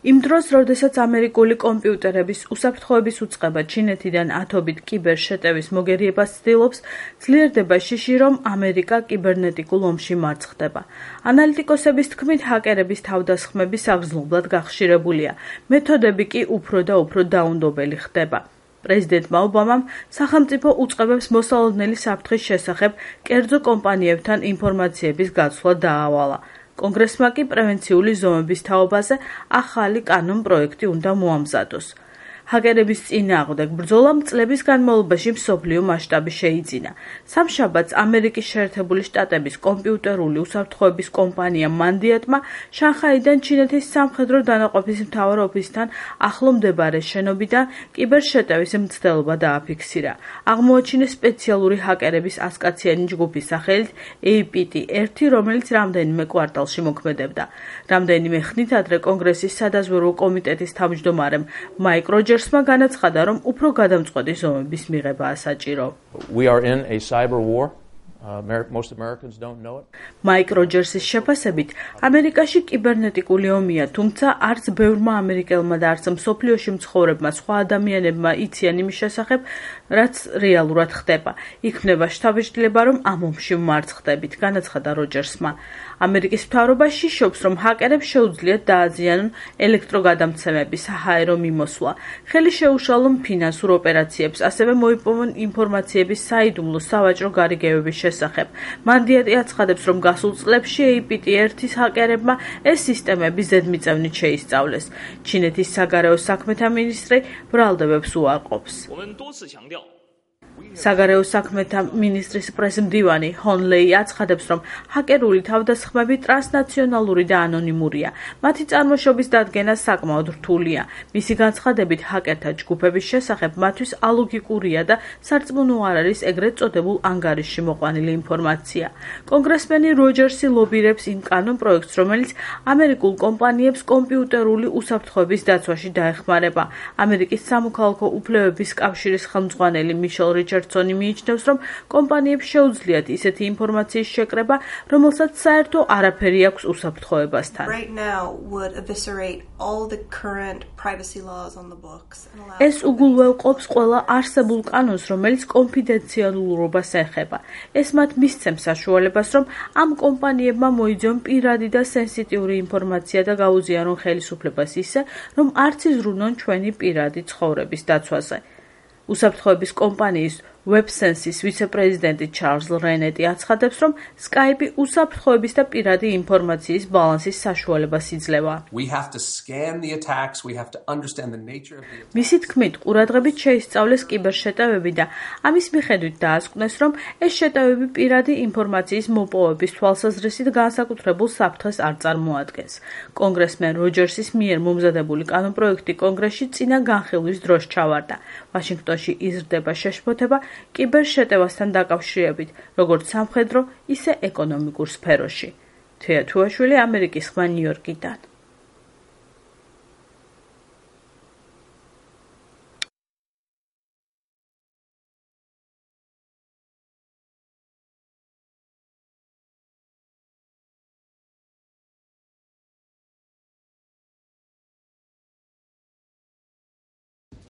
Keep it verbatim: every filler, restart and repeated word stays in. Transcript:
იმ დროს, როდესაც ამერიკული კომპიუტერების უსაფრთხოების უწყება ჩინეთიდან ათობით კიბერ შეტევის მოგერიებას ცდილობს, ძლიერდება შიში, რომ ამერიკა კიბერნეტიკულ ომში მარცხდება. ანალიტიკოსების თქმით, ჰაკერების თავდასხმები საგრძნობლად გახშირებულია, მეთოდები კი უფრო და უფრო დაუნდობელი ხდება. პრეზიდენტმა ობამამ სახელმწიფო უწყებებს მოსალოდნელი საფრთხის შესახებ კერძო კომპანიებთან ინფორმაციების გაცვლა დაავალა. კონგრესმა კი პრევენციული ზომების თაობაზე ახალი კანონ-პროექტი უნდა მოამზადოს. ჰაკერების წინააღმდეგ ბრძოლა წლების განმავლობაში მსოფლიო მასშტაბი შეიძინა. სამშაბათს ამერიკის შეერთებული შტატების კომპიუტერული უსაფრთხოების კომპანია მანდიატმა შანხაიდან ჩინეთის სამხედრო დანაყოფის მთავარ ოფისთან ახლო მდებარე შენობიდან კიბერშეტევის მცდელობა დააფიქსირა. აღმოაჩინეს სპეციალური ჰაკერების ასკაციანი ჯგუფის სახელით ეი პი ტი ერთი, რომელიც რამდენიმე კვარტალში მოქმედებდა. რამდენიმე ხნით ადრე კონგრესის სადაზვერვო კომიტეტის თავმჯდომარემ მაიკ როჯერსმა განაცხადა, რომ უფრო გადამწყვეტი ზომების მიღებაა საჭირო. We are in a cyber war. Uh, most Americans don't know it. მაიკ როჯერსის შეფასებით, ამერიკაში კიბერნეტიკული ომია, თუმცა არც ბევრმა ამერიკელმა და არც მსოფლიოში მცხოვრებმა სხვა ადამიანებმა იციან იმის შესახებ, რაც რეალურად ხდება. იქმნება შთაბეჭდილება, რომ ამ ომში ვმარცხდებით, განაცხადა როჯერსმა. ამერიკის მთავრობა შიშობს, რომ ჰაკერებს შეუძლიათ დააზიანონ ელექტროგადამცემები, საჰაერო მიმოსვლა, ხელი შეუშალონ ფინანსურ ოპერაციებს, ასევე მოიპოვონ ინფორმაციების საიდუმლო სავაჭრო გარიგებების შესახებ. მანდიატი აცხადებს, რომ გასულ წლებში ეი პი ტი ერთის ჰაკერებმა ეს სისტემები ზედმიწევნით შეისწავლეს. ჩინეთის საგარეო საქმეთა მინისტრი ბრალდებებს უარყოფს. საგარეო საქმეთა მინისტრის პრესმდივანი ჰონ ლეი აცხადებს, რომ ჰაკერული თავდასხმები ტრანსნაციონალური და ანონიმურია. მათი წარმოშობის დადგენა საკმაოდ რთულია. მისი განცხადებით, ჰაკერთა ჯგუფების შესახებ მათთვის ალოგიკურია და სარწმუნო არ არის ეგრეთ წოდებულ ანგარიშში მოყვანილი ინფორმაცია. კონგრესმენი როჯერსი ლობირებს იმ კანონ-პროექტს, რომელიც ამერიკულ კომპანიებს კომპიუტერული უსაფრთხოების დაცვაში დაეხმარება. ამერიკის სამოქალაქო უფლებების კავშირის ხელმძღვანელი მიშელ რიჩარდსონი მიიჩნევს, რომ კომპანიებს შეუძლიათ ისეთი ინფორმაციის შეკრება, რომელსაც საერთო არაფერი აქვს უსაფრთხოებასთან. ეს უგულველყოფს ყველა არსებულ კანონს, რომელიც კონფიდენციალურობას ეხება. ეს მათ მისცემს საშუალებას, რომ ამ კომპანიებმა მოიძიონ პირადი და სენსიტიური ინფორმაცია და გაუზიარონ ხელისუფლებას ისე, რომ არც იზრუნონ ჩვენი პირადი ცხოვრების დაცვაზე. უსაფრთხოების კომპანიის WebSense-ის ვიცე-პრეზიდენტი ჩარლზ რენეტი აცხადებს, რომ Skype უსაფრთხოების და პირადი ინფორმაციის ბალანსის საშუალებას იძლევა. მისი თქმით, ყურადღებით შეისწავლეს კიბერშეტევები და ამის მიხედვით დაასკვნეს, რომ ეს შეტევები პირადი ინფორმაციის მოპოვების თვალსაზრისით განსაკუთრებულ საფრთხეს არ წარმოადგენს. კონგრესმენ როჯერსის მიერ მომზადებული კანონპროექტი კონგრესში წინა განხილვის დროს ჩავარდა. ვაშინგტონში იზრდება შეშფოთება კიბერშეტევასთან დაკავშირებით, როგორც სამხედრო, ისე ეკონომიკურ სფეროში. თეა თუაშვილი, ამერიკის ხმა, ნიუ-იორკიდან.